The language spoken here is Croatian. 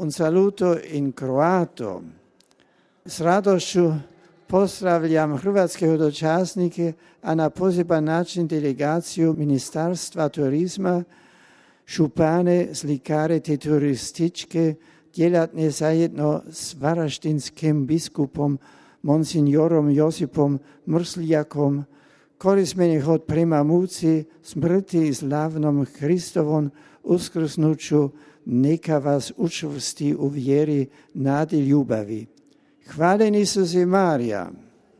Un saluto in kroato. S radošću pozdravljam hrvatske hodočasnike, a na poseban način delegaciju Ministarstva turizma, župane, slikare te turističke djelatne zajedno s varaždinskim biskupom monsignorom Josipom Mrsljakom, korismenih od prema muci, smrti i slavnom Hristovom uskrsnuću, neka vas učvrsti u vjeri, nadi, ljubavi. Hvaljen Isus i Marija.